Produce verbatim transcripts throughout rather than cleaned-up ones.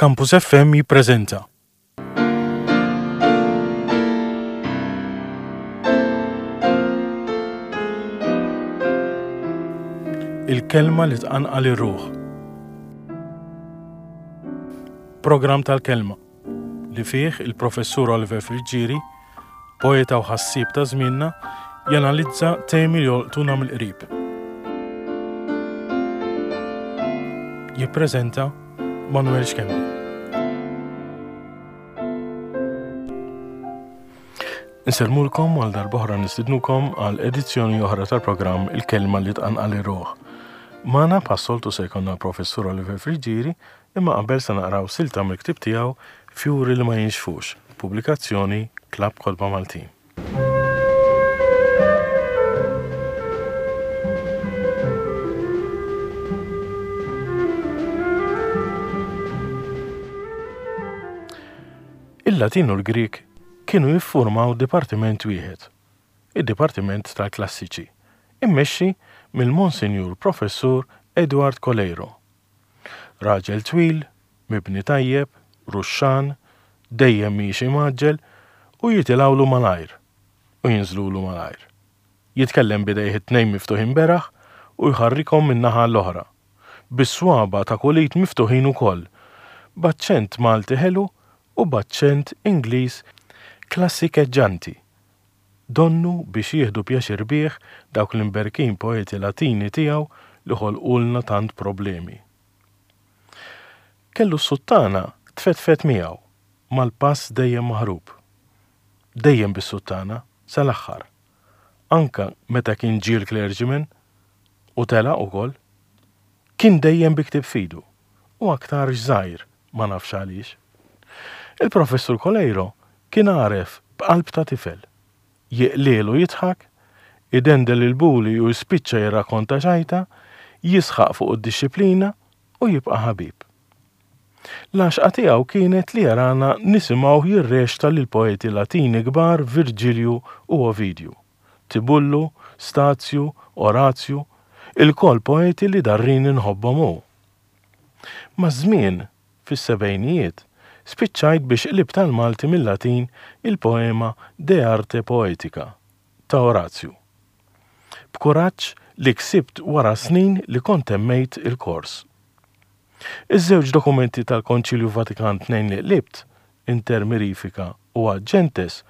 Campus F M jippreżenta Il-kelma li tqanqal ir-ruħ. Programm tal-kelma li fih il-Professur Oliver Friggieri, poeta u ħassieb ta' żmienna, janalizza temi li jolqtuna mill-qrib. Jippreżenta Manuel Schembri. Insellmulkom, għal darb'oħra nistidnukom għal edizzjoni oħra tal-programm Il-Kelma li tqanqal ir-ruħ. Magħna bħas-soltu se jkollna l-Professur Oliver Friggieri, imma qabel se naqraw silta mill-ktieb tiegħu Fjuri li ma jinxfux, pubblikazzjoni Klabb Kotba Maltin. Il-Latin u l-Grieg kienu jiffurmaw dipartiment wieħed, id-Dipartiment tal-Klassiċi, immexxi mill-Monsinjur Professur Edward Coleiro. Raġel twil, mibni tajjeb, ruxxan, dejjem miexi mgħaġġel u jitilgħulu malajr u jinżlulu malajr. Jitkellem b'idejh it-tnejn miftuħin beraħ u jħarrikhom minn naħa l-oħra, bis-swaba ta' kull id miftuħin ukoll, b'aċċent Malti ħelu u b'aċċent Ingliż klassikeġġanti. Donnu biex jieħdu pjaċir bih dawk l-imberkin poeti Latini tiegħu li ħolqulna tant problemi. Kellu s-suttana tfetfet miegħu mal-pass dejjem maħrub. Dejjem bis-suttana sal-aħħar. Anka meta kien ġie l-clergyman u telaq ukoll. Kien dejjem bi ktieb f'idu u aktarx żgħir, ma nafx għaliex. Il-Professur Coleiro kien għaref b'qalb ta' tifel. Jiqliel u jidħak, idendel il-buli u jispiċċa jirrakkonta ċajta, jisħaq fuq id-dixxiplina u jibqa' ħabib. L-għaxqa tiegħu kienet li jarana nisimgħu jirreċta lil poeti Latini kbar Virgilju u Ovidju, Tibullu, Stazju, Orazju, ilkoll poeti li darrini nħobbhom hu. Maż-żmien, fis-sebgħinijiet, spiċċajt biex qlibt għall-Malti mill-Latin il-poema De Arte Poetica ta' Orazju. B'kuraġġ li ksibt wara snin li kont temmejt il-kors. Iż-żewġ dokumenti tal-Konċilju Vatikan tnejn li qlibt, Inter Mirifica u Ad Gentes,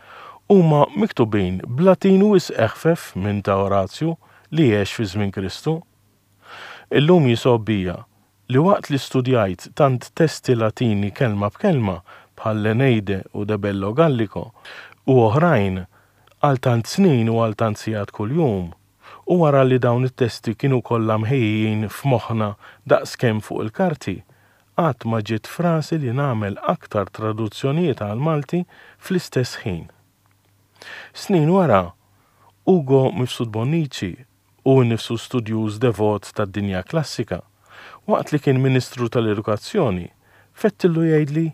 huma miktubin b'Latin wisq eħfef minn ta' Orazju li għex fi żmien Kristu. Illum jisgħob bija li waqt li studjajt tant testi Latini kelma b'kelma bħal l-Eneide u De Bello Gallico u oħrajn għal tant snin u għal tant sigħat kuljum, u wara li dawn it-testi kienu kollha mħejjin f'moħħna daqskemm fuq il-karti, qatt ma ġiet f'rasi li nagħmel aktar traduzzjonijiet għal Malti fl-istess ħin. Snin wara, Ugo Mifsud Bonnici, u nnifsu studjuż devot tad-dinja klassika, waqt li kien Ministru tal-Edukazzjoni, fettillu jgħidli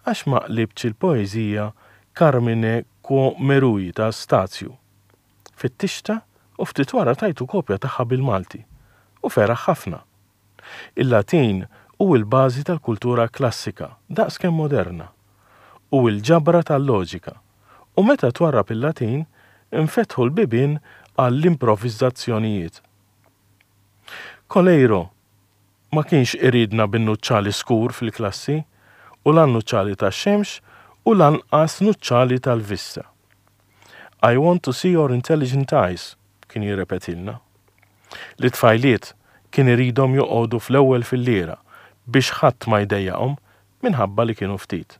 għax ma qlibtx il-poeżija Carmine quo merui ta' Stazju. Fittixtha u ftit wara tajtu kopja tagħha bil-Malti u feraħ ħafna. Il-Latin hu l-bażi tal-kultura klassika daqskemm moderna u l-ġabra tal-loġika, u meta twarrab il-Latin infetħu l-bibien għall-improvvizzazzjonijiet. Coleiro ma kienx iridna bin-nuċċali skur fil-klassi u la nuċċali tax-xemx u lanqas nuċċali tal-vista. "I want to see your intelligent eyes," kien jirrepetilna. Lit-tfajliet kien iridhom joqogħdu fl-ewwel filliera biex ħadd ma jdejjaqhom minħabba li kienu ftit.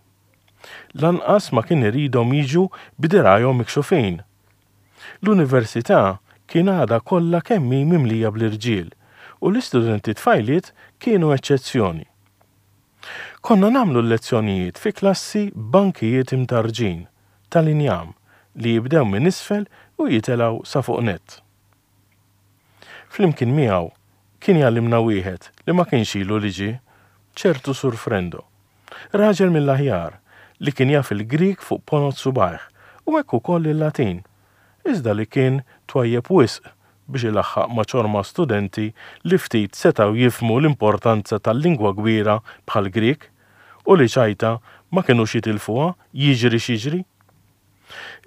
Lanqas ma kien iridhom jiġu b'dirgħajhom mikxufin. L-università kien għadha kollha kemm hi mimlija bl-irġiel u l-istudenti tfajliet kienu eċċezzjoni. Konna nagħmlu l-lezzjonijiet fi klassi b'bankijiet imtarġin tal-injam li jibdew minn isfel u jitilgħu sa fuq nett. Flimkien miegħu kien jgħallimna wieħed li ma kienx ilu li ġie, ċertu Sur Frendo. Raġel mill-aħjar li kien jaf il-Grieg fuq ponot subgħajh u hekk ukoll il-Latin, iżda li kien twajjeb wisq biex ilaħħaq ma' ċorma studenti li ftit setgħu jifhmu l-importanza tal-lingwa kbira bħall-Grieg u li ċajta ma kinux jitilfuha jiġri x'jiġri.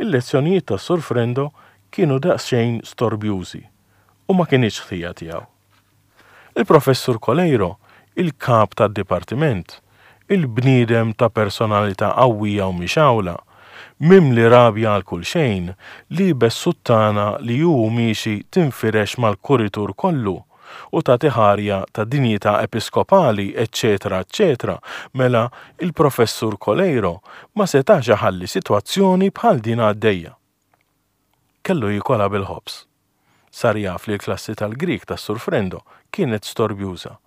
Il-lezzjonijiet tas-Sur Frendo kienu daqsxejn storbjużi u ma kinitx ħtija tiegħu. Il-Professur Coleiro, il-kap tad-dipartiment, il-bniedem ta' personalità qawwija u mixgħula, mimli rabja għal kull xejn, liebes suttana li hu miexi tinfirex mal-kuritur kollu u tagħti ħarja ta' dinjità episkopali, eċċetera, eċċetera, mela il-Professur Coleiro ma setax iħalli sitwazzjoni bħal din għaddejja. Kellu jikolha bil-ħobż. Sar jaf li l-klassi tal-Grieg tas-Sur Frendo kienet storbjuża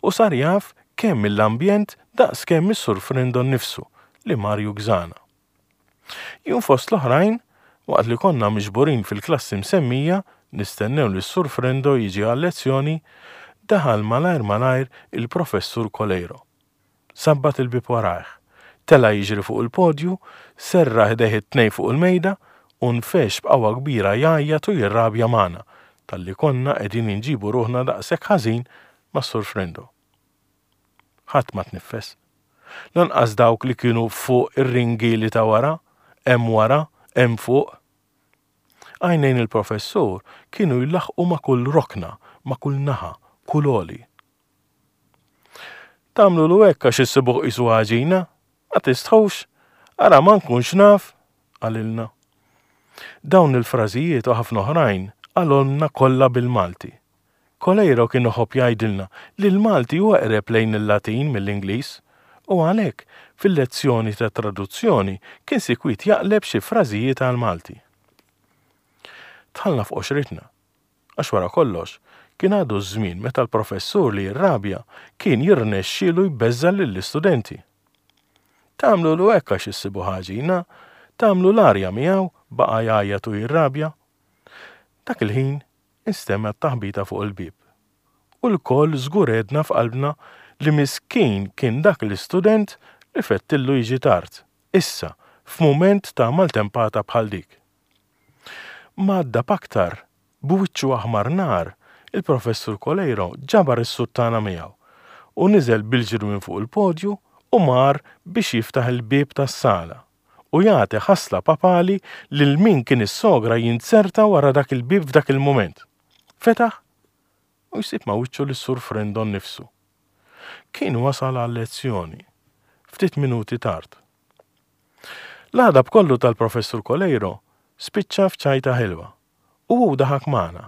u sar jaf kemm mill-ambjent daqs kemm is-Sur Frendo nnifsu li mar jugżana. Jum fost l-oħrajn, waqt li konna miġburin fil-klassi msemmija, nistennew li s-Sur Frendo jiġi għal-lezzjoni, daħal malajr malajr il-Professur Coleiro. Sabbat il-bieb warajh, tela' jiġri fuq il-podju, serraħ idejh it-tnejn fuq il-mejda u nfex b'qawwa kbira jgħajjat u jirrabja magħna talli konna qegħdin inġibu ruħna daqshekk ħażin mas-Sur Frendo. Ħadd ma tniffes. Lanqas dawk li kienu fuq ir-ringieli ta' wara, hemm wara, hemm fuq. Għajnejn il-professur kienu jlaħħqu ma' kull rokna, ma' kull naħa, kull għoli. Tagħmlulu hekk għax issibuh qisu għaġina? Ma tistħux? Ara ma nkunx naf, qalilna. Dawn il-frażijiet u ħafna oħrajn qalhomlna kollha bil-Malti. Coleiro kien iħobb jgħidilna li l-Malti huwa eqreb lejn il-Latin mill-Ingliż u għalhekk fil-lezzjoni ta' traduzzjoni kien sikwit jaqleb xi frażijiet għall-Malti. Dħalna f'qoxritna, għax wara kollox kien għadu ż-żmien meta l-professur li jirrabja kien jirnexxielu jbeżża' lill-istudenti. Tagħmlulu hekk għax issibu ħaġina, tagħmlu l-arja miegħu, baqa' jgħajjat u jirrabja. Dak il-ħin instemgħet taħbita fuq il-bieb. U lkoll żgur għedna f'qalbna li miskin kien dak l-istudent li fettillu jiġi tard, issa f'mument ta' maltempata bħal dik. M'għadda b'aktar, b'wiċċu aħmar nar, il-Professur Coleiro ġabar is-suttana miegħu u niżel bil-ġiri minn fuq il-podju u mar biex jiftaħ il-bieb tas-sala u jagħti ħasla papali lil min kien is-sogra jinzerta wara dak il-bieb f'dak il-mument. Fetaħ u jsib ma' wiċċu lis-Sur Frendo nnifsu. Kien wasal għal-lezzjoni, ftit minuti tard. L-għadab kollu tal-Professur Coleiro spiċċa f'ċajta ħelwa u hu daħak magħna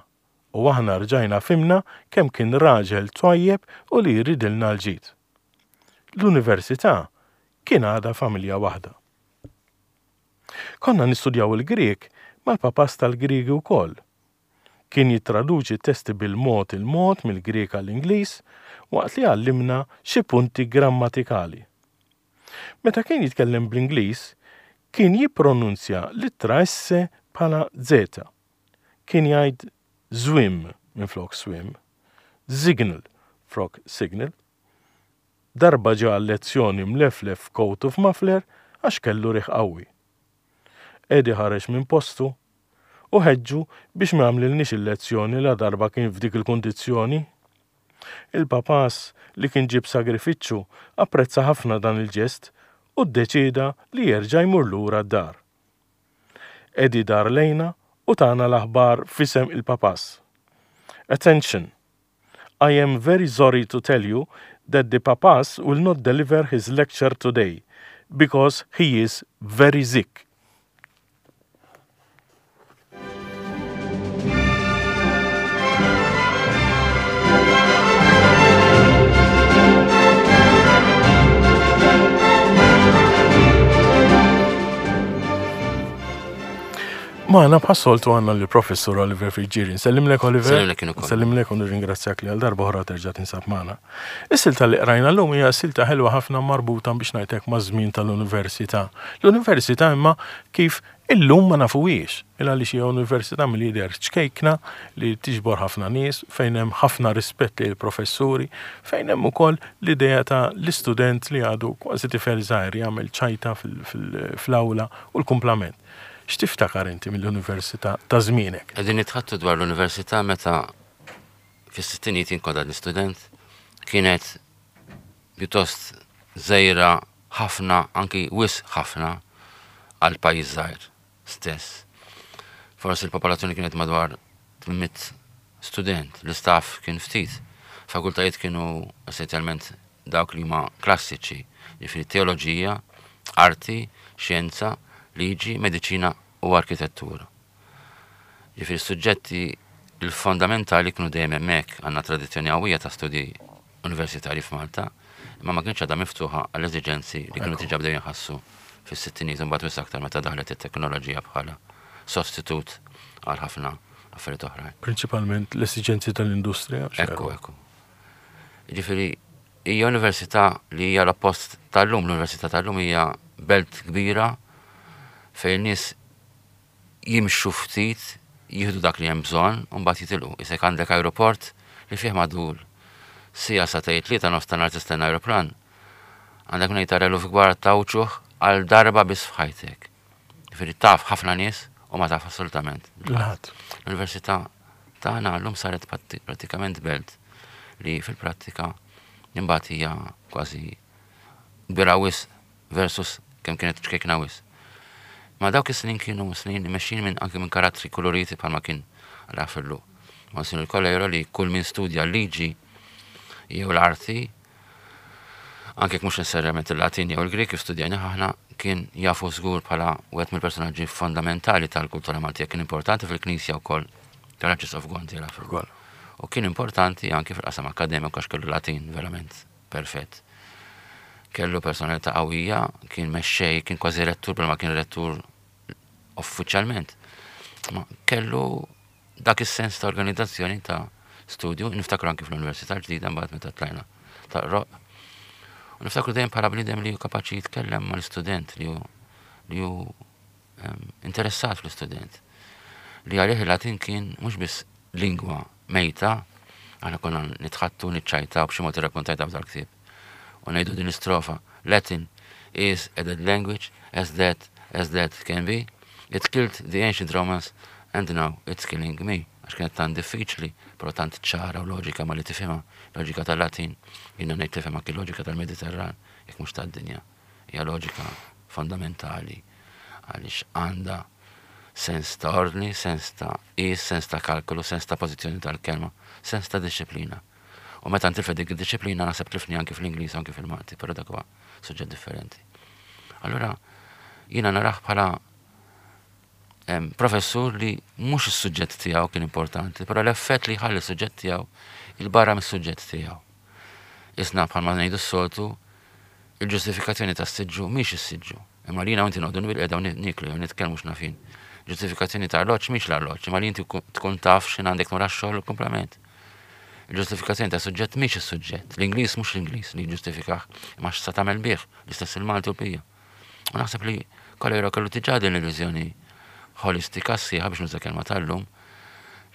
u aħna rġajna fhimna kemm kien raġel twajjeb u li jridilna l-ġid. L-università kien għadha familja waħda. Konna nistudjaw il-Grieg mal-papas tal-Griegi wkoll. Kien jittraduċi testi bil-mod il-mod mill-Grieg għall-Ingliż waqt li għallimna xi punti grammatikali. Meta kien jitkellem bl-Ingliż, kien jippronunzja l-ittra S bħala Z. Kien jgħid zwim minflok swim, signal flok signal. Darba ġa lezzjoni mleflef f'coat u f'muffler għax kellu riħ qawwi. Eddie ħareġ minn postu u ħeġġu biex ma jagħmlilniex il-lezzjoni la darba kien f'dik il-kundizzjoni. Il-papas li kien ġib sagrifiċċju apprezza ħafna dan il-ġest u ddeċieda li jerġa' jmur lura d-dar. Eddie dar lejna u tana l-aħbar f'isem il-papas. Attention! I am very sorry to tell you that the papas will not deliver his lecture today because he is very sick. Magħna bħas-soltu għandna l-Professur Oliver Friggieri. Nsellimlek Oliver. Nsellimlek jien ukoll. Nsellimlek u nirringrazzjak li għal darba oħra terġa' tinsab magħna. Is-silta li qrajna llum hija silta ħelwa ħafna marbuta biex ngħidlek maż-żmien tal-università. L-università imma kif illum ma nafuhiex, il għaliex hija università mill-jidher ċkejkna li tiġbor ħafna nies, fejn hemm ħafna rispett lil professuri, fejn hemm ukoll l-idea ta' l-istudent li għadu kważi tifel żgħir jagħmel ċajta fil-, fil-, fl-awla u l-kumplament. X'tiftakar inti mill-università ta' żmienek? Qegħdin nitħattu dwar l-università meta fis-sittinijiet jien kont għadni student, kienet pjuttost żgħira ħafna, anki wisq ħafna għal pajjiż żgħir stess. Forsi l-popolazzjoni kienet madwar tmien mitt student, l-istaff kien ftit. Fakultajiet kienu essenzjalment dawk li huma klassiċi, jiġifieri teoloġija, arti, xjenza, liġi, mediċina u arkitettura. Jiġifieri suġġetti il-fondamentali kienu dejjem hemmhekk. Għandna tradizzjoni qawwija ta' studji universitari f'Malta, imma ma kienx għadha miftuħa għall-eżiġenzi li kienu diġà bdew jinħassu fis-sittinijiet, imbagħad wisq aktar meta daħlet it-teknoloġija bħala sostitut għal ħafna affarijiet oħrajn. Prinċipalment l-esiġenzi tal-industrija. Ekku, ekku. Jiġifieri hija università li hija l-oppost tal-lum. L-università tal-lum hija belt kbira fejn nies jimxu ftit, jieħdu dak li hemm bżonn u mbagħad jitilqu. Isek għandek aeroport li fih madur siegħa, sagħtejn, tlieta nofs ta' nhar tistenna aeroplan. Għandek ngħid tara eluf kbar ta' wċuħ għal darba biss f'ħajtek. Jiġifieri taf ħafna nies u ma taf assolutament L-ħadd. L-università tagħna llum saret prattikament belt li fil-prattika imbagħad hija kważi kbira wisq versus kemm kienet ċkejkna wisq. Ma dawk is-snin kienu snin mexxin minn anke minn karattri koloriti bħalma kien għal Monsinjur Coleiro, li kull min studja l-liġi jew l-arti, anke mhux necessarjament il-Latin jew il-Grek kif studjajna aħna, kien jafu żgur bħala wieħed mill-personaġġi fondamentali tal-kultura Maltija. Kien importanti fil-Knisja wkoll tal-Arċisqof Gonzi. U kien importanti anke fil-qasam akademiku għax kellu Latin verament perfett. Kellu personalità qawwija, kien mexxej, kien kważi rettur, ma kien rettur uffiċjalment. Ma kellu dak is-sens ta' organizzazzjoni ta' studju, niftakru anki fl-Università ġdida mbagħad meta tlajna ta' Roq. U niftakru dejjem bħala bniedem li hu kapaċi jitkellem mal-istudent, li hu li hu interessat fl-istudent. Li għalih il-Latin kien mhux biss lingwa mejta, aħna konna nitħaddtu, niċċajta u b'xi mod irrakkontajta f'dal-ktieb. U ngħidu din istrofa: "Latin is a dead language, as dead as dead can be. It killed the ancient Romans and now it's killing me." Għax kienet tant diffiċli, però tant ċara u loġika ma li tifhimha, loġika tal-Latin, jiena ngħid tifhem anki loġika tal-Mediterran, jekk mhux tad-dinja. Hija loġika fondamentali għaliex għandha sens ta' ordni, sens ta' is, sens ta' kalkolu, sens ta' pożizzjoni tal-kelma, sens ta' disċiplina. U meta ntilfet dik id-disċiplina, naħseb tlifni anki fl-Ingliż, anki fil-Malti, però dak huwa suġġett differenti. Allura jiena narah bħala professur li mhux is-suġġett tiegħu kien importanti, però l-effett li ħalli s-suġġett tiegħu il-barra mis-suġġett tiegħu. Isna bħalma ngħidu s-soltu, il-ġustifikazzjoni tas-siġġu mhix is-siġġu. Imma li jiena inti noqogħdu bilqiegħda u niklu jew nitkellmu x'nafin. Ġustifikazzjoni ta' arloġġ mhix l-arloġġ, imma li inti tkun taf x'in għandek mura x-xogħol u komplement. Il-ġustifikazzjoni ta' suġġett mhix is-suġġett. L-Ingliż mhux l-Ingliż li ġustifikah, imma x'sa tagħmel bih, l-istess il-Malti u l-bija. U naħseb li Coleiro kellu diġà din l-illużjoni holistika sħiħa, biex nuża kelma tal-lum,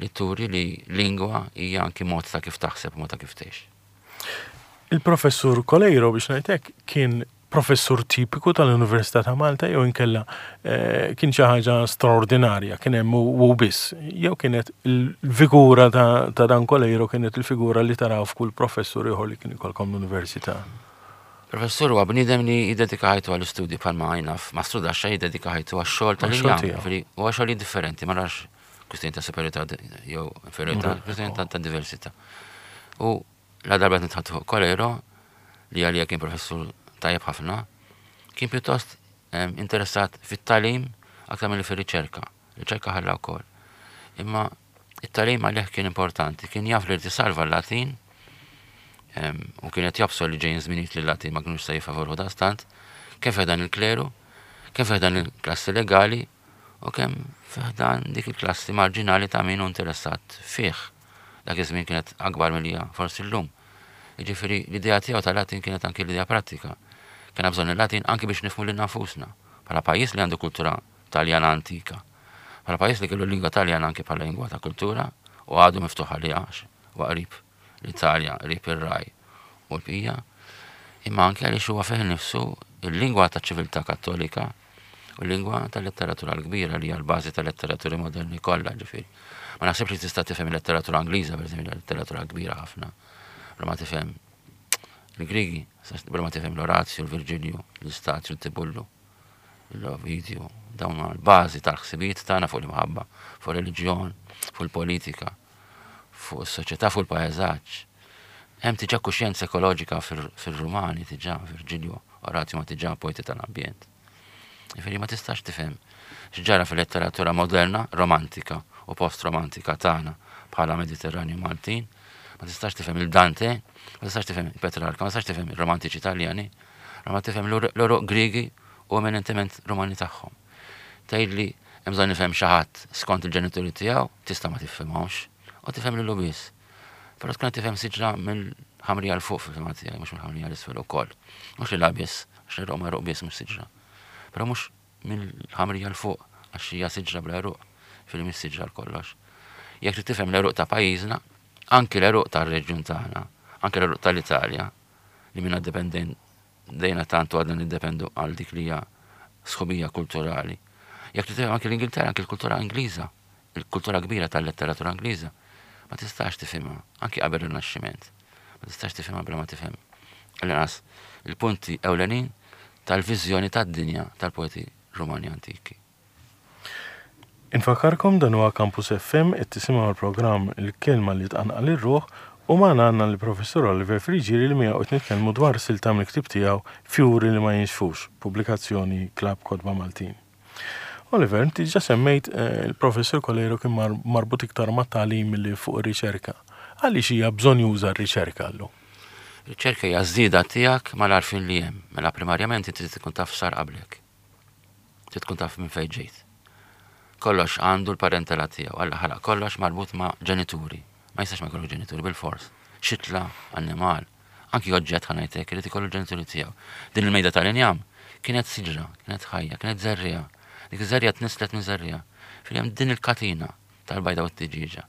li turi li lingwa hija anki mod ta' kif taħseb, mod ta' kif tgħix. Il-professur Coleiro, biex ngħidlek, kien professur tipiku tal-Università ta' Malta jew inkella eh, kien xi ħaġa straordinarja, kien hemm u biss, jew kienet il-figura ta', ta dan Coleiro kienet il-figura li taraw f'kull professur ieħor li kien ikolkom l-università? Professur huwa bniedem li jiddedika ħajtu għall-istudju bħalma għajna f'mastrudaxxa jiddedika ħajtu għax-xogħol tal-injam. Huwa xogħol differenti, ma narax kwistjoni ta' superiorità jew inferiorità, kwistjoni ta' diversità. U la darba nitħaddtu fuq Coleiro, li għalija kien professur tajjeb ħafna, kien pjuttost interessat fit-tagħlim aktar milli fir-riċerka. Riċerka ħalla wkoll. Imma it-tagħlim għalih kien importanti, kien jaf li salva l-Latin u kienet jobsor li ġejjin żminijiet li l-Latin ma kienux se jifavorhu daqstant, kemm dan il-kleru, kemm dan il-klassi legali u kemm dan dik il-klassi marġinali ta' min hu interessat fih. Dak iż-żmien kienet akbar milli forsi llum. Jiġifieri l-idea tiegħu tal-Latin kienet anki l-idea pratika. Kien bżonn il-Latin anki biex nifhmu lil nafusna. Bħala pajjiż li għandu kultura Taljana antika. Bħala pajjiż li kellu lingwa Taljana anki bħala lingwa ta' kultura u għadu miftuħ għaliha u qrib l-Italja, qrib ir-Raj u l-bqija. Imma anke għaliex huwa fih nifsu il-lingwa ta' ċiviltà Kattolika u l-lingwa tal-letteratura l-kbira li hija l-bażi tal-letteraturi moderni kollha, ġifieri. Ma naħsibx li tista' tifhem il-letteratura Ingliża, pereżempju, letteratura kbira ħafna. Ma tifhem Il-Grigi, bla ma tifhem l-Orazju, l-Virġilju, l-Istazju, l-Tibullu, l-Ovidju, dawn l-bażi tal-ħsibijiet tagħna fuq l-imħabba, fuq reliġjon, fuq il-politika, fuq is-soċjetà, fuq il-pajjeżaġġ. Hemm diġà kuxjenza ekoloġika fir-Rumani diġà, Virġilju, Orazju ma diġà poeti tal-ambjent. Jiġifieri ma tistax tifhem x'ġara fil-letteratura moderna, romantika u post-romantika tagħna bħala Mediterranju Maltin, ma tistax tifhem il-Dante, ma tistax tifhem il-Petrarka, ma tistax tifhem il-romantiċi Italjani, ma tifhem l-għeruq Grigi u eminentement Rumani tagħhom. Tgħidli hemm bżonn nifhem xi ħadd skont il-ġenituri tiegħu, tista' ma tifhimhomx, u tifhem lilu biss. Però tkun qed tifhem siġra mill-ħamrija 'l fuq fil-fehma tiegħi, mhux mill-ħamrija 'l isfel ukoll. Mhux li biss, għax l-għeruq ma biss mhux siġra. Però mhux mill-ħamrija 'l fuq għax hija siġra bla għeruq, fil mhix siġra l kollox. Jekk trid tifhem l-għeruq ta' pajjiżna, anki l-għeruq tar-reġjun tagħna, anki l-għeruq tal-Italja, li minna dejna tantu għadna niddependu għal dik li hija sħubija kulturali. Jekk trid tifhem anki l-Ingilterra, anki l-kultura Ingliża, il-kultura kbira tal-letteratura Ingliża, ma tistax tifhimha, anki qabel ir-Rinaxximent. Ma tistax tifhimha bla ma tifhem. L-inqas il-punti ewlenin tal-viżjoni tad-dinja tal-poeti Rumani antiki. Infakkarkom, dan huwa Campus F M, qed tisimgħu l-programm Il-Kelma li Tqanqal ir-Ruħ u magħna għandna l-Professur Oliver Friggieri li miegħu qed nitkellmu dwar silta mill-ktieb tiegħu Fjuri li ma Jinxfux, pubblikazzjoni Klabb Kotba Maltin. Oliver, inti ġa semmejt eh, il-professur Coleiro kien marbut iktar ma' tagħlim milli fuq ir-riċerka. Għaliex hija bżonn juża r-riċerka llum? Riċerka hija żieda tiegħek mal-għarfien li hemm. Mela primarjament inti trid tkun taf sar qablek. Trid tkun taf minn fejn ġejt. Kollox għandu l-parentela tiegħu, Alla ħalaq kollox marbut ma' ġenituri. Ma jistax ma jkollu ġenituri bil-fors. Xitla, annimal, anki oġġett, ħa ngħidlek, irid ikollu ġenituri tiegħu. Din il-mejda tal-injam kienet siġra, kienet ħajja, kienet żerriegħa. Dik iż-żerriegħa tnisslet minn żerriegħa. Fil din il-katina tal-bajda u t-tiġiġa.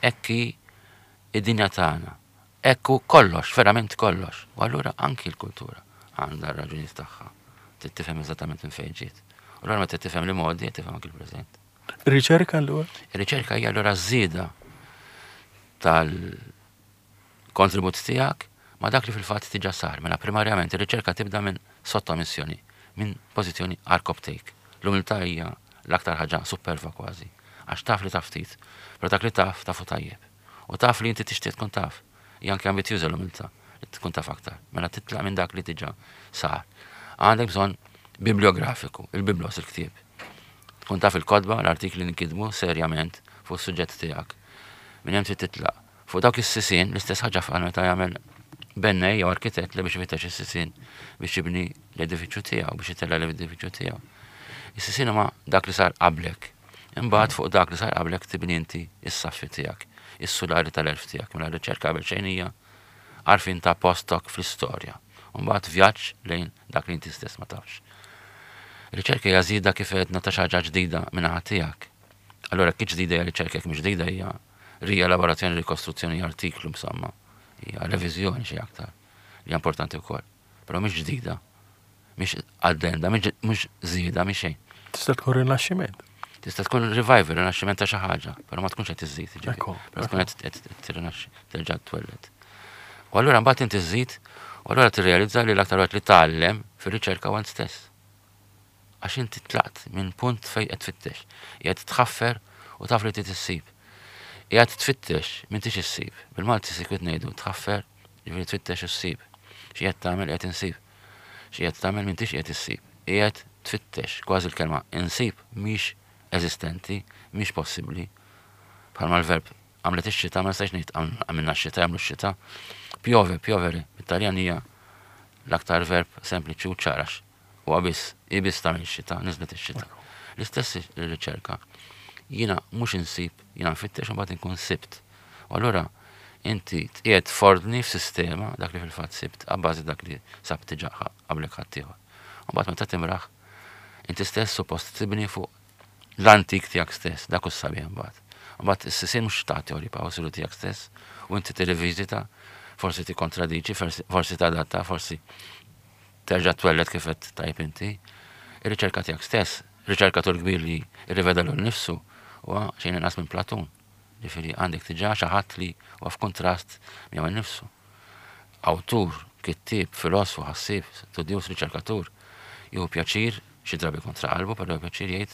Hekk hi id-dinja tagħna. Hekk hu kollox, verament kollox. U allura anki l-kultura għandha r-raġunijiet tagħha. Trid tifhem eżattament minn fejn ġiet. U allura meta tifhem l-modi, tifhem anki l-preżent. Ir-riċerka allura? Ir-riċerka hija allura żieda tal-kontribut tiegħek ma' dak li fil-fatt diġà sar. Mela primarjament ir-riċerka tibda minn sottomissjoni, minn pożizzjoni għarkopptejk. L-umiltà hija l-aktar ħaġa superva kważi. Għax taf li taf ftit, però dak li taf tafu tajjeb. U taf li inti tixtieq tkun taf. Hija anke ambizjuża l-umiltà li tkun taf aktar. Mela titlaq minn dak li diġà sar. Għandek bżonn bibliografiku, il-biblos, il-ktieb. Tkun taf il-kotba, l-artikli li nkitbu serjament fuq is-suġġett tiegħek. Minn hemm trid titlaq. Fuq dawk is-sisien, l-istess ħaġa fuq meta jagħmel bennej jew arkitett li biex ifittex is-sisien biex jibni l-edifiċju tiegħu, biex itella' l-edifiċju tiegħu. Is-sisien huma dak li sar qablek. Imbagħad fuq dak li sar qablek tibni inti is-saffi tiegħek, is-sulari tal-għerf tiegħek. Mela r-riċerka qabel xejn hija għarfien ta' postok fl-istorja. Mbagħad vjaġġ lejn dak li inti stess ma tafx. Riċerka hija żieda, kif għedna, ta' xi ħaġa ġdida minn tiegħek. Allura kif ġdida hija riċerka, jekk mhix ġdida hija rielaborazzjoni, rikostruzzjoni, artiklu insomma. Hija reviżjoni xi aktar li hija importanti wkoll. Però mhix ġdida, mhix addenda, mhix żieda, mhix xejn. Tista' tkun rinaxximent. Tista' tkun revival, rinaxximent ta' xi ħaġa, però ma tkunx qed iżżid, jiġifieri. Ekku, Però tkun qed tirrinaxxi, terġa' twelled. U allura mbagħad inti żżid, u allura tirrealizza li l-aktar waqt li tgħallem fir-riċerka huwa int stess. Għax inti tlaqt minn punt fejn qed tfittex. Qiegħed tħaffer u taf li trid issib. Qiegħed tfittex, m'intix issib. Bil-Malti sikwit ngħidu tħaffer, jiġifieri tfittex issib. Xi qed tagħmel? Qiegħed insib. Xi qed tagħmel? M'intix qiegħed issib. Qiegħed tfittex, kważi l-kelma insib mhix eżistenti, mhix possibbli. Bħalma l-verb għamlet ix-xita, ma nistax ngħid għamilna x-xita, jagħmlu x-xita. Piove, piovere, bit-Taljan hija l-aktar verb sempliċi u ċar. U biss, biss tagħmel ix-xita, niżlet ix-xita. L-istess ir-riċerka. Jiena mhux insib, jiena nfittex u mbagħad inkun sibt. U allura inti tqiegħed f'ordni f'sistema dak li fil-fatt sibt, abbażi dak li sab diġà qablek ħaddieħor. U mbagħad meta timraħ, inti stess suppost tibni fuq l-antik tiegħek stess, dak hu sabiħ mbagħad. Mbagħad is-sisien mhux ta' teori pa' siru tiegħek stess u inti tirriviżita, forsi tikkontradiċi, forsi, forsi tadatta, forsi terġa' twelled kif qed tajb inti. Ir-riċerka tiegħek stess, riċerkatur kbir li rriveda lil nifsu huwa xejn inqas minn Platun. Ġifieri għandek diġà xi ħadd li huwa f'kontrast miegħu innifsu. Awtur Kittieb, filosfu, ħassieb, studjuż, riċerkatur, jieħu pjaċir, xi drabi kontra qalbu, però jieħu pjaċir jgħid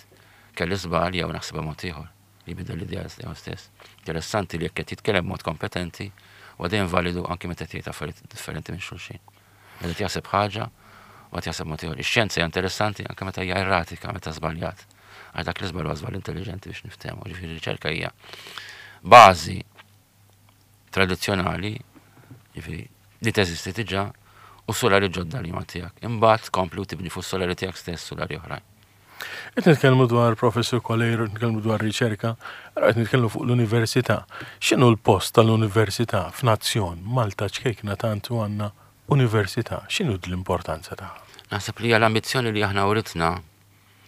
kelli żball jew naħsibha mod ieħor, li jbidel l-idea tiegħu stess. Interessanti li jekk qed jitkellem b'mod kompetenti, huwa dejjem validu anki meta qed jgħid affarijiet differenti minn xulxin. Meta qed jaħseb ħaġa u qed jaħseb mod ieħor. Ix-xjenza hija interessanti anke meta hija erratika, meta żbaljat. Għax dak l-iżball huwa żball intelligenti biex niftehmu. Ġifieri riċerka hija bażi tradizzjonali, ġifieri li teżisti diġà, u solari ġodda li ma tiegħek. Imbagħad tkompli u tibni fuq solari tiegħek stess solari oħrajn. Qed nitkellmu dwar Professur Coleiro, nitkellmu dwar riċerka, allora qed nitkellmu fuq l-università. X'inhu l-post tal-università f'nazzjon Malta ċkejkna tant u għandna università? X'inhu l-importanza tagħha? Naħseb li hija l-ambizzjoni li aħna uritna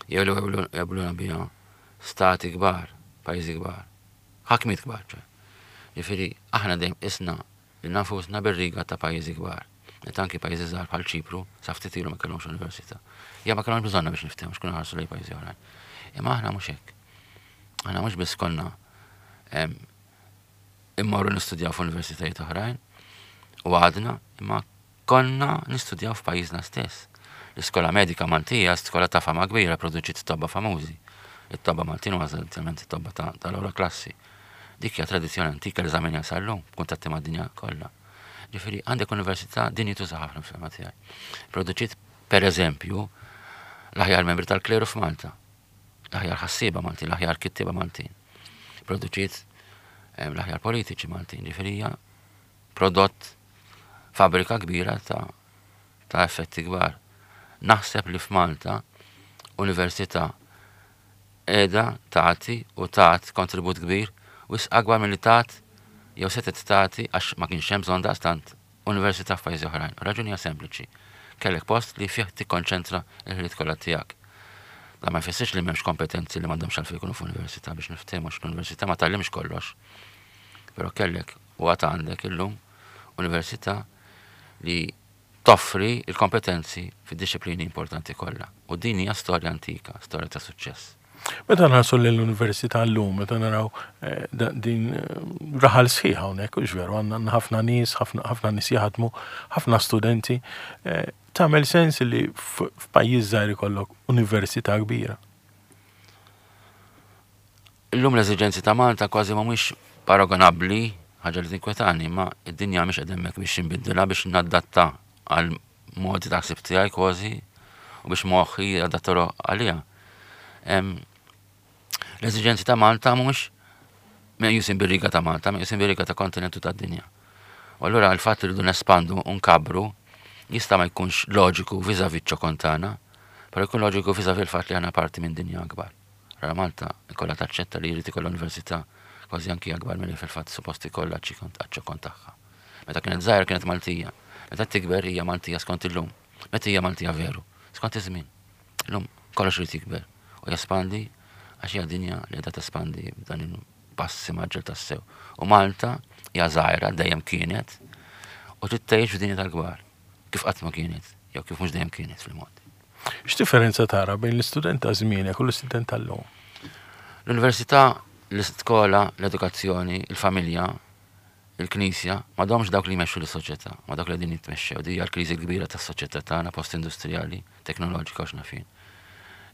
jew li jaqbluna biha stati kbar, pajjiżi kbar, ħakmiet kbar, ċe. Ġifieri aħna dejjem isna li nafusna bir-riga ta' pajjiżi kbar. Meta anki pajjiżi żgħar bħal Ċipru sa ftit ilu ma kellhomx università. Ja ma kellhomx bżonna biex niftehmu x'kunu ħarsu lejn pajjiżi oħrajn. Imma aħna mhux hekk. Aħna mhux biss konna immorru nistudjaw f'universitajiet oħrajn u għadna, imma konna nistudjaw f'pajjiżna stess. L-iskola medika Maltija, skola ta' fama kbira, produċiet tobba famużi. It-tobba Maltin huwa eżattament it-tobba tal-ewwel klassi. Dik hija tradizzjoni antika li żamminja sal-lum, kuntatti mad-dinja kollha. Ġifieri għandek università dinjituża ħafna fil-fehma tiegħi. Produċiet, per eżempju, l-aħjar membri tal-kleru f'Malta, l-aħjar ħassieba Maltin, l-aħjar kittieba Maltin. Produċiet l-aħjar politiċi Maltin, ġifieri hija prodott fabbrika kbira ta', ta' effetti kbar. Naħseb li f'Malta università qiegħda tagħti u tat kontribut kbir wisq akbar milli tat jew setgħet tagħti għax ma kienx hemm bżonn daqstant università f'pajjiżi oħrajn. Raġuni hija sempliċi. Kellek post li fih tikkonċentra l-ħiliet kollha tiegħek. Da ma jfissirx li m'hemmx kompetenzi li m'għandhomx għalfejn jkunu f'università biex niftehmu għax l-università ma tgħallimx kollox. Però kellek u għad għandek illum università li toffri il-kompetenzi fid-disciplini importanti kollha. U din hija storja antika, storja ta' suċċess. Meta nħarsu l-università llum, meta naraw eh, din eh, raħal sħiħ hawnhekk, hux veru, għandna ħafna nies, ħafna nies jaħdmu, ħafna studenti, eh, tagħmel sens li f'pajjiż żgħir ikollok università kbira. Illum l-eżiġenzi ta' Malta kważi mhumiex paragonabbli, ħaġa li tinkwetani, ma id-dinja mhix qed hemmhekk biex inbiddilha biex nadatta għal modi ta' ħsieb tiegħi kważi u biex moħħi jadattaru għaliha. L-eżiġenzi ta' Malta mhux meqjusin bir-riga ta' Malta, meqjusin bir-riga ta' kontinentu tad-dinja. U allura l-fatt li rridu nespandu u nkabru jista' ma jkunx loġiku vis-à-vis ċ-ċokon tagħna, però jkun loġiku vis-à-vis il-fatt li aħna parti minn dinja akbar. Allura Malta ikollha taċċetta li jrid ikollha università kważi anki akbar milli fil-fatt suppost ikollha għaċ-ċokon tagħha. Meta kienet żgħira kienet Maltija, meta tikber hija Maltija skont illum. Meta hija Maltija veru, skont iż-żmien. Illum kollox irid jikber u jespandi għax hija dinja li qiegħda tespandi b'dan il-passi mgħaġġel tassew. U Malta hija żgħira dejjem kienet u trid tgħix f'dinja tal-kbar kif qatt ma kienet jew kif mhux dejjem kienet fil-mod. X'differenza tara bejn l-istudent ta' żmienek u l-istudent tal-lum? L-università, l-iskola, l-edukazzjoni, il-familja, il-knisja, m'għadhomx dawk li jmexxu lis-soċjetà, ma dawk li qegħdin jitmexxew. Din hija l-kriżi kbira tas-soċjetà tagħna post-industrijali, teknoloġika u x'naf jien.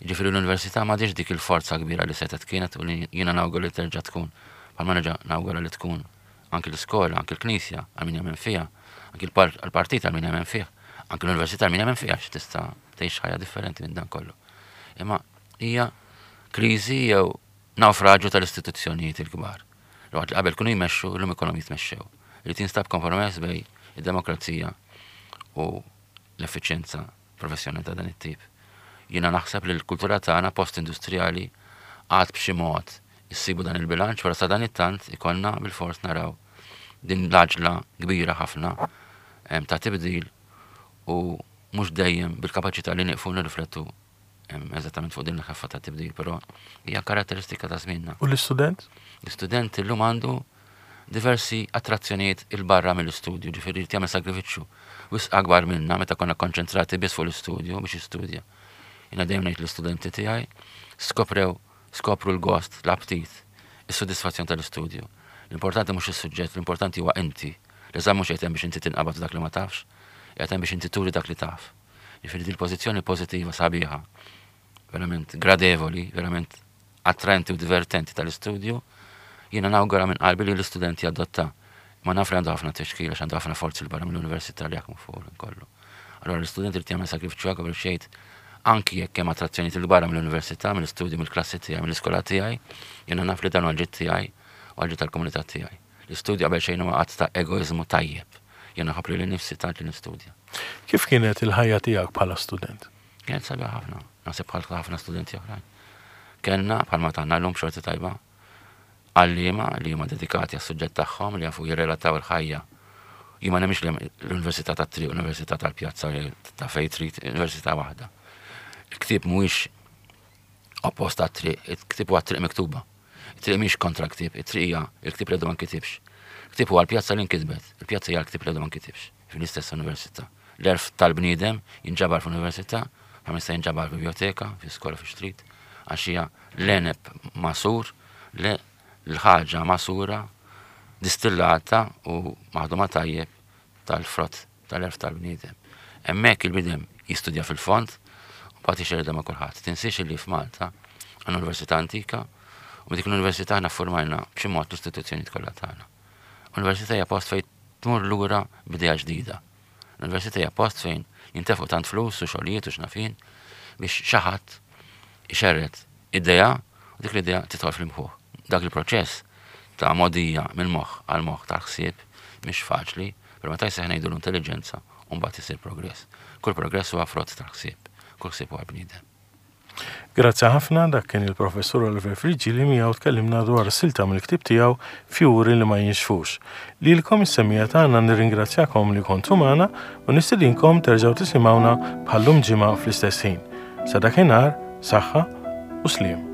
Jiġifieri l-università m'għadhiex dik il-forza kbira li setgħet kienet u li jiena nawgura li terġa' tkun, bħalma nerġa' nawgura li tkun anki l-iskola, anki l-knisja għal min jemmen fiha, anki l-partit għal min jemmen fih, anki l-università għal min jemmen fiha għax tista' tgħix ħajja differenti minn dan kollu. Imma hija kriżi jew nawfraġju tal-istituzzjonijiet il-kbar. Li qabel kienu jmexxu, illum ikollhom jitmexxew. Irid jinstab kompromess bejn id-demokrazija u l-effiċjenza professjonali ta' dan it-tip. Jiena naħseb li l-kultura tagħna post-industrijali għad b'xi mod issibu dan il-bilanċ, però sa dan it-tant ikollna bil-fors naraw din l-għaġla kbira ħafna ta' tibdil u mhux dejjem bil-kapaċità li nieqfu nirriflettu eżattament fuq din l-ħeffa ta' tibdil, però hija karatteristika ta' żmienna. U l-istudent? L-istudent illum għandu diversi attrazzjonijiet il-barra mill-istudju, ġifieri jrid jagħmel sagrifiċċju wisq akbar minna meta konna konċentrati biss fuq l-istudju biex jistudja. Jiena dejjem ngħid l-istudenti tiegħi skoprew, skopru l-gost, l-aptit, is-sodisfazzjon tal-istudju. L-importanti mhux is-suġġett, l-importanti huwa inti. L-eżami mhux qed hemm biex inti tinqabad dak li ma tafx, Qiegħed hemm biex inti turi dak li taf. Jiġifieri dil-pożizzjoni pożittiva sabiħa, verament gradevoli, verament attraenti u divertenti tal-istudju, jiena nawgura minn qalbi li l-istudenti jadotta. Ma naf li għandu ħafna tixkil għax għandu ħafna forzi 'l barra mill-università li jaħdmu fuq kollu. Allora l-istudenti li jagħmel sakrifiċċju qabel xejn anki jekk hemm attrazzjoni 'l barra mill-università, mill-istudju, mill-klassi tiegħi, mill-iskola tiegħi, jiena naf li dan huwa ġid tiegħi u għal tal-komunità tiegħi. L-istudju qabel xejn huwa att ta' egoiżmu tajjeb. Jiena nħobb lili nnifsi tant li nistudja. Kif kienet il-ħajja tiegħek bħala student? Kienet sabiħa ħafna, naħseb bħal ħafna studenti oħrajn. Kellna bħalma tagħna llum xorti tajba għalliema li huma dedikati għas-suġġett tagħhom li jafu jirrelataw il-ħajja. Jien ma nemminx li l-Università tat-triq, l-Università tal-Pjazza ta' fejn trid, università waħda. Il-ktieb mhuwiex oppost għat-triq, il-ktieb huwa triq miktuba. Il-triq mhix kontra ktieb, it-triq hija il-ktieb li għadu ma nkitibx. Il-ktieb huwa l-pjazza li nkitbet, il-pjazza hija l-ktieb li għadu ma nkitibx fl-istess università. L-għerf tal-bniedem jinġabar fl-università, ma jista' jinġabar f'biblioteka, fi skola fi street, għax hija l-għeneb magħsur, l-ħaġa magħsura, distillata u maħduma tajjeb tal-frott tal-għerf tal-bniedem. Hemmhekk il-bniedem jistudja fil-fond u mbagħad ixerredha ma' kulħadd. Tinsiex li f'Malta għandna università antika u dik l-università aħna formajna b'xi mod l-istituzzjoni kollha tagħna. Università hija post fejn tmur lura b'idea ġdida. L-università hija post fejn jintefqu tant flus u xogħlijiet u x'naf jien biex xi ħadd ixerred idea u dik l-idea tidħol fil-mħuħ. Dak il-proċess ta' mogħdija mill-moħħ għal moħħ tal-ħsieb mhix faċli, però meta jseħħ ngħidu l-intelligenza u mbagħad isir progress. Kull progress huwa frott tal-ħsieb, kull ħsieb huwa bniedem. Grazzi ħafna dak kien il-professur Oliver Friggieri li miegħu tkellimna dwar silta mill-ktieb tiegħu Fjuri li ma jinxfux. Lilkom is-semmiegħa tagħna nirringrazzjakom li kontu magħna u nistedinkom terġgħu tisimgħuna bħal-lum ġimgħa fl-istess ħin. Sa dakinhar, saħħa u sliem.